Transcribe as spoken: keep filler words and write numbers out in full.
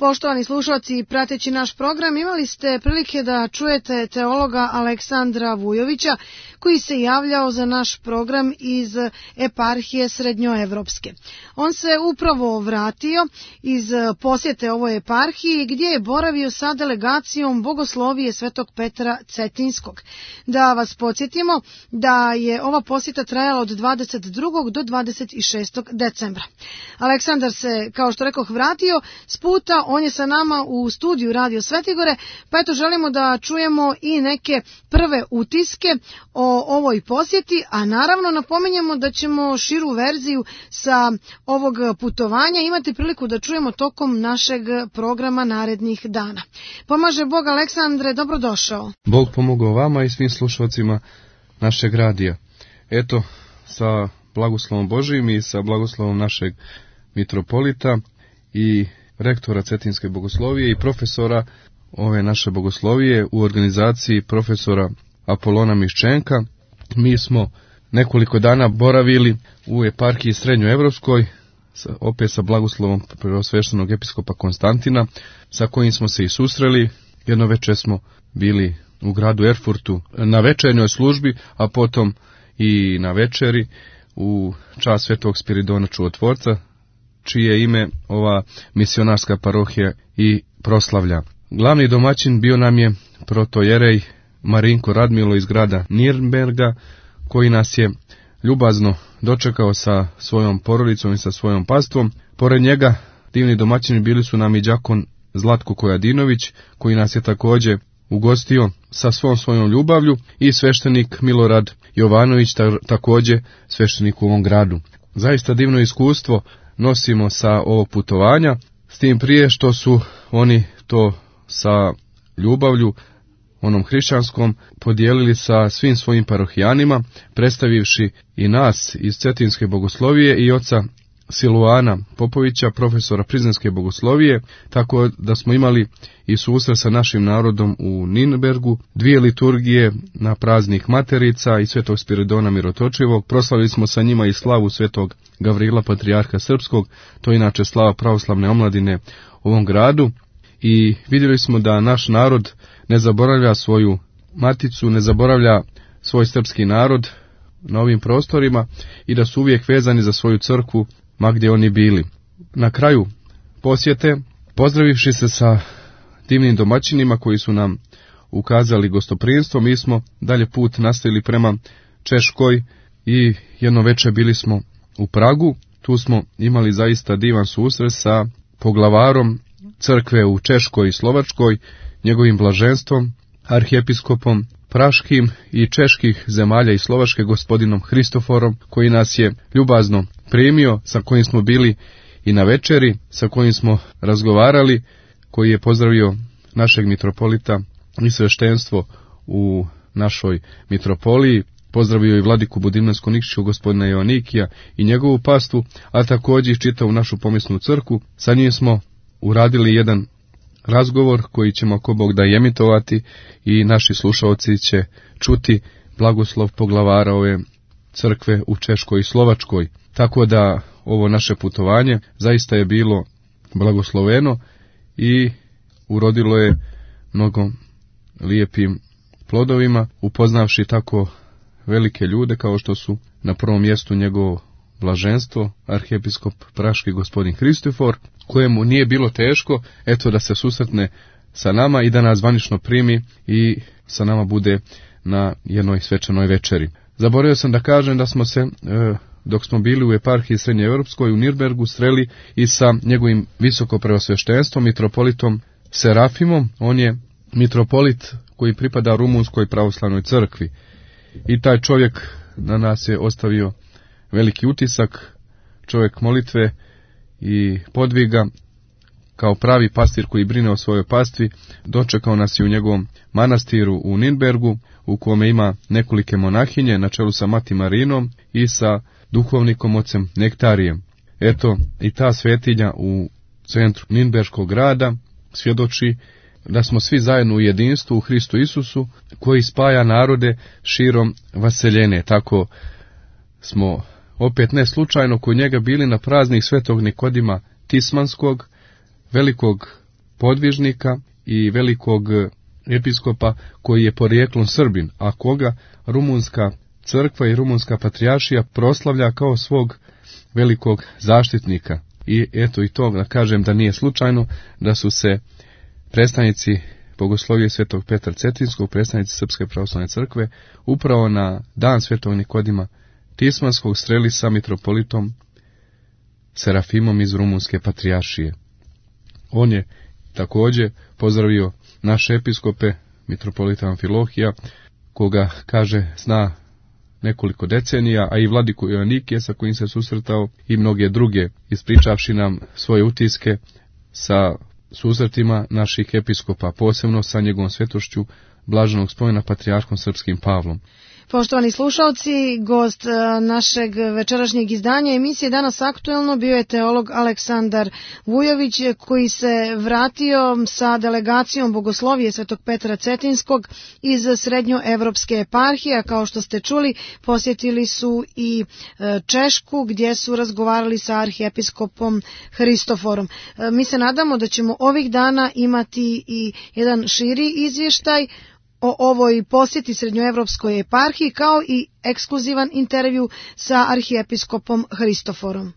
Poštovani slušalci, prateći naš program, imali ste prilike da čujete teologa Aleksandra Vujovića, koji se javljao za naš program iz eparhije Srednjoevropske. On se upravo vratio iz posjete ovoj eparhiji, gdje je boravio sa delegacijom Bogoslovije Svetog Petra Cetinskog. Da vas podsjetimo da je ova posjeta trajala od dvadeset drugog do dvadeset šestog decembra. Aleksandar se, kao što rekoh, vratio s puta. On je sa nama u studiju Radio Svetigore, pa eto želimo da čujemo i neke prve utiske o ovoj posjeti, a naravno napominjemo da ćemo širu verziju sa ovog putovanja imati priliku da čujemo tokom našeg programa narednih dana. Pomaže Bog, Aleksandre, dobrodošao. Bog pomogao vama i svim slušalcima našeg radija. Eto, sa blagoslovom Božijim i sa blagoslovom našeg mitropolita i rektora Cetinske bogoslovije i profesora ove naše bogoslovije u organizaciji profesora Apolona Miščenka. Mi smo nekoliko dana boravili u eparhiji Srednjoevropskoj, opet sa blagoslovom preosveštenog episkopa Konstantina, sa kojim smo se i susreli. Jedno večer smo bili u gradu Erfurtu na večernjoj službi, a potom i na večeri u čast Svetog Spiridona Čudotvorca, čije ime ova misionarska parohija i proslavlja. Glavni domaćin bio nam je protojerej Marinko Radmilo iz grada Nirnberga, koji nas je ljubazno dočekao sa svojom porodicom i sa svojom pastvom. Pored njega divni domaćini bili su nam i đakon Zlatko Kojadinović, koji nas je također ugostio sa svom svojom ljubavlju, i sveštenik Milorad Jovanović, također sveštenik u ovom gradu. Zaista divno iskustvo nosimo sa ovog putovanja, s tim prije što su oni to sa ljubavlju onom hrišćanskom podijelili sa svim svojim parohijanima, predstavivši i nas iz Cetinske bogoslovije i oca Siluana Popovića, profesora Prizrenske bogoslovije, tako da smo imali i susret sa našim narodom u Nirnbergu, dvije liturgije na praznik Materica i Svetog Spiridona Mirotočivog. Proslavili smo sa njima i slavu Svetog Gavrila Patrijarha Srpskog, to je inače slava pravoslavne omladine u ovom gradu, i vidjeli smo da naš narod ne zaboravlja svoju maticu, ne zaboravlja svoj srpski narod na ovim prostorima i da su uvijek vezani za svoju crkvu ma gdje oni bili. Na kraju posjete, pozdravivši se sa divnim domaćinima koji su nam ukazali gostoprimstvo, mi smo dalje put nastavili prema Češkoj i jedno večer bili smo u Pragu. Tu smo imali zaista divan susret sa poglavarom crkve u Češkoj i Slovačkoj, njegovim blaženstvom, arhijepiskopom praškim i čeških zemalja i Slovačke, gospodinom Hristoforom, koji nas je ljubazno primio, sa kojim smo bili i na večeri, sa kojim smo razgovarali, koji je pozdravio našeg mitropolita i sveštenstvo u našoj mitropoliji, pozdravio i vladiku Budimljansko-Nikšiću, gospodina Joanikija i njegovu pastvu, a također čitavu našu pomjesnu crkvu. Sa njim smo uradili jedan razgovor koji ćemo, ako Bog da, emitovati, i naši slušalci će čuti blagoslov poglavara ove crkve u Češkoj i Slovačkoj. Tako da ovo naše putovanje zaista je bilo blagosloveno i urodilo je mnogo lijepim plodovima, upoznavši tako velike ljude kao što su na prvom mjestu njegovo blaženstvo, arhijepiskop praški gospodin Hristofor, kojemu nije bilo teško eto da se susretne sa nama i da nas zvanično primi i sa nama bude na jednoj svečanoj večeri. Zaboravio sam da kažem da smo se, e, dok smo bili u eparhiji Srednjoevropskoj u Nirnbergu, sreli i sa njegovim visoko preosveštenstvom, mitropolitom Serafimom. On je mitropolit koji pripada Rumunskoj pravoslavnoj crkvi. I taj čovjek na nas je ostavio veliki utisak, čovjek molitve i podviga, kao pravi pastir koji brine o svojoj pastvi. Dočekao nas je u njegovom manastiru u Nirnbergu, u kome ima nekolike monahinje na čelu sa Mati Marinom i sa duhovnikom ocem Nektarijem. Eto, i ta svetinja u centru Nirnberškog grada svjedoči da smo svi zajedno u jedinstvu u Hristu Isusu, koji spaja narode širom vaseljene. Tako smo opet ne slučajno kod njega bili na praznik Svetog Nikodima Tismanskog, velikog podvižnika i velikog episkopa koji je porijeklom Srbin, a koga rumunska crkva i rumunska patrijaršija proslavlja kao svog velikog zaštitnika. I eto i to da kažem da nije slučajno da su se predstavnici Bogoslovije Svetog Petra Cetinskog, predstavnici Srpske pravoslavne crkve, upravo na dan Svetog Nikodima Tismanskog sreli sa mitropolitom Serafimom iz rumunske patrijaršije. On je također pozdravio naše episkope, mitropolita Amfilohija, koga, kaže, zna nekoliko decenija, a i vladiku Joanikije sa kojim se susretao i mnoge druge, ispričavši nam svoje utiske sa susretima naših episkopa, posebno sa njegovom svetošću blaženog spomena patrijarhom srpskim Pavlom. Poštovani slušalci, gost našeg večerašnjeg izdanja emisije Danas aktuelno bio je teolog Aleksandar Vujović, koji se vratio sa delegacijom Bogoslovije Svetog Petra Cetinskog iz Srednjoevropske eparhije, a kao što ste čuli, posjetili su i Češku gdje su razgovarali sa arhiepiskopom Hristoforom. Mi se nadamo da ćemo ovih dana imati i jedan širi izvještaj o ovoj posjeti Srednjoevropskoj eparhiji, kao i ekskluzivan intervju sa arhiepiskopom Hristoforom.